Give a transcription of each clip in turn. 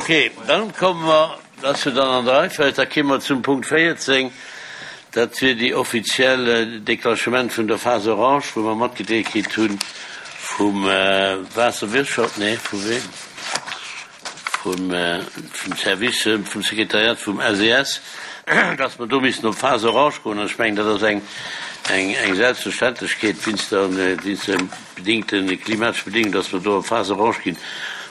Ok, dann komme mer, dat ass jo dann an der Reihenfolg, da kéime mer zum Punkt 14, dat wier déi offiziell Déclenchement vun der Phase orange, wou mer matgedeelt kritt hu vum Waasserwirtschaft, nee, vu wem? Vum Service, vum Sekretariat vum SES, dass mer do missten op d'Phase orange goen. An ech mengen, dat ass eng, eng Selbstverständlechkeet wéinst der, wéinst de bedingten, klimatesche Bedingungen, dass mer do op d'Phase orange ginn,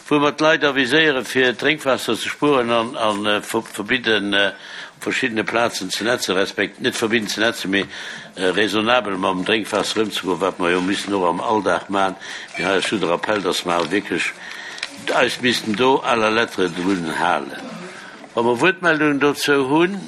wou mer d'Leit aviséieren, fir Drénkwaasser ze spueren an, a verbidden, op verschiddene Plazen ze netzen, respekt, net verbidden ze netzen, mee raisonnabel mam Drénkwaasser ëmzegoen, wat mer jo missen och am Alldag maachen. Mee hei ass just de Rappell, dass mer awer wierklech eis missten do à la lettre drun halen. Wa mer Wuertmeldungen dozou hunn.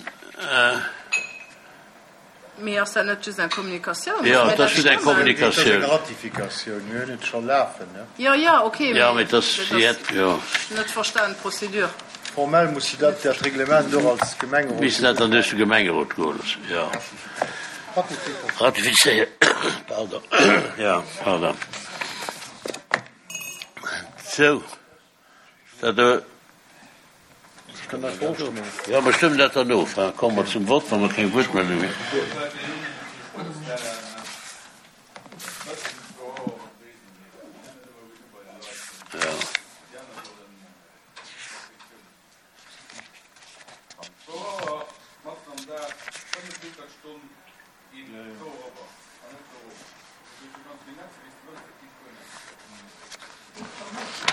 Mee ass dat net just eng Kommunikatioun? Jo, et ass just eng Kommunikatioun. Et ass eng Ratifikatioun. Mir hunn et scho lafen, ne? Jo, jo, okay, mee dat ass jo net verstanen, d'Procédure. Formell muss se dat, dat Reglement och als Gemengerot. Missten dat dann duerch de Gemengerot goe loossen, jo. Ratifizéieren, pardon, jo, pardon. Sou, dat do. Jo, mer stëmmen dat dann of. Da komme mer zum Vott, wa mer keng Wuertmeldung hunn. Jo.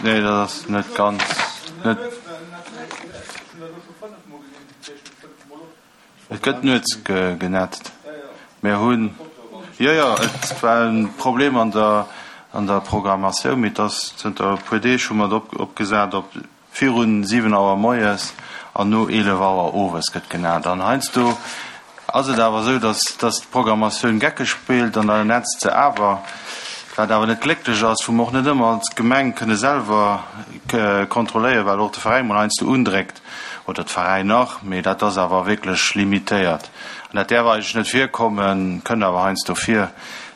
Nee, dat ass net ganz, net. Et gëtt nuets genetzt. Mir hunn, jo, jo, et war e Problem an der, an der Programmatioun, mee et ass zënter e puer Deeg hu mer et opgesat op Virun 7 Auer moies an no 11 Auer owes gëtt genat. An heiansdo ass et awer esou, dass dass d'Programmatioun geckeg spillt an da netzt se awer, wat awer net glécklech ass, wou mer och net ëmmer als Gemeng kënne selwer kontrolléieren, well och de Veräin mol heiansdo undréckt oder d'Veräiner, mee dat ass awer wierklech limitéiert an dat däerf eigentlech net virkommen, kënnt awer heiansdo vir.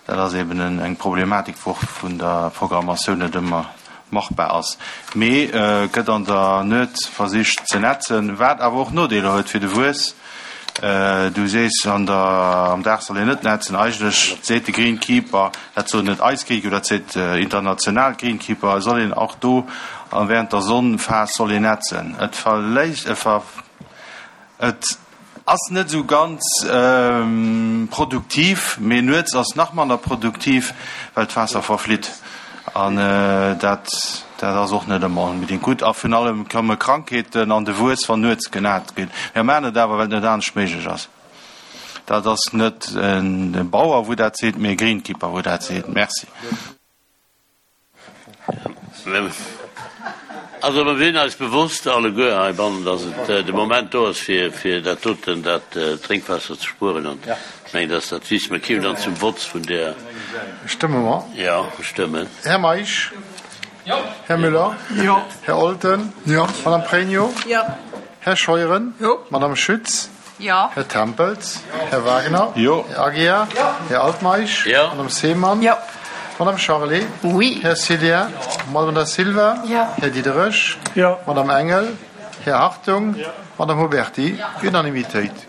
Dat ass eben eng Problematik, wou och vun der Programmatioun net ëmmer machbar ass, mee gëtt an der Nuet versicht ze netzen, wat awer och Nodeeler huet fir de Wuess. Du sees an der am Dag soll een net netzen. Eigentlech seet de Greenkeeper, dat soen net eis Greenkeeper, dat seet international Greenkeeper, soll een och do während der Sonnenphas soll een netzen. Et verléisst, et ver, et. Ass net esou ganz produktiv, mee nuets ass nach manner produktiv, well d'Waasser verflitt an dat dat ass och net ëmmer onbedéngt gutt. A virun allem komme Krankheeten an de Wuess, wann nuets genat gëtt. Mir maachen et awer, well et net anescht méiglech ass. Dat ass net e Bauer, wou dat seet, mee e Greenkeeper, wou dat seet. Merci. Also mer sinn eis bewosst alleguer heibannen, dass et de Moment do ass, fir fir dat doten, dat Drénkwaasser ze spueren. An ech mengen, dass dat wiss. Mer kéimen dann zum Vott vun där. Stëmme mer? Jo, mer stëmmen. Här Meisch? Jo. Här Müller? Jo. Här Olten? Jo. Madame Pregno? Jo. Här Scheuren? Jo. Madame Schütz? Jo. Här Tempels? Här Wagner? Jo. Här Aguiar? Jo. Här Altmeisch? Jo. Madame Seemann? Jo. Madame Charlé? Oui. Här Cillien? Jo. Madame Da Silva? Jo. Här Diderich? Jo. Madame Engel? Jo. Här Hartung? Jo. Madame Huberty? Jo. Unanimitéit.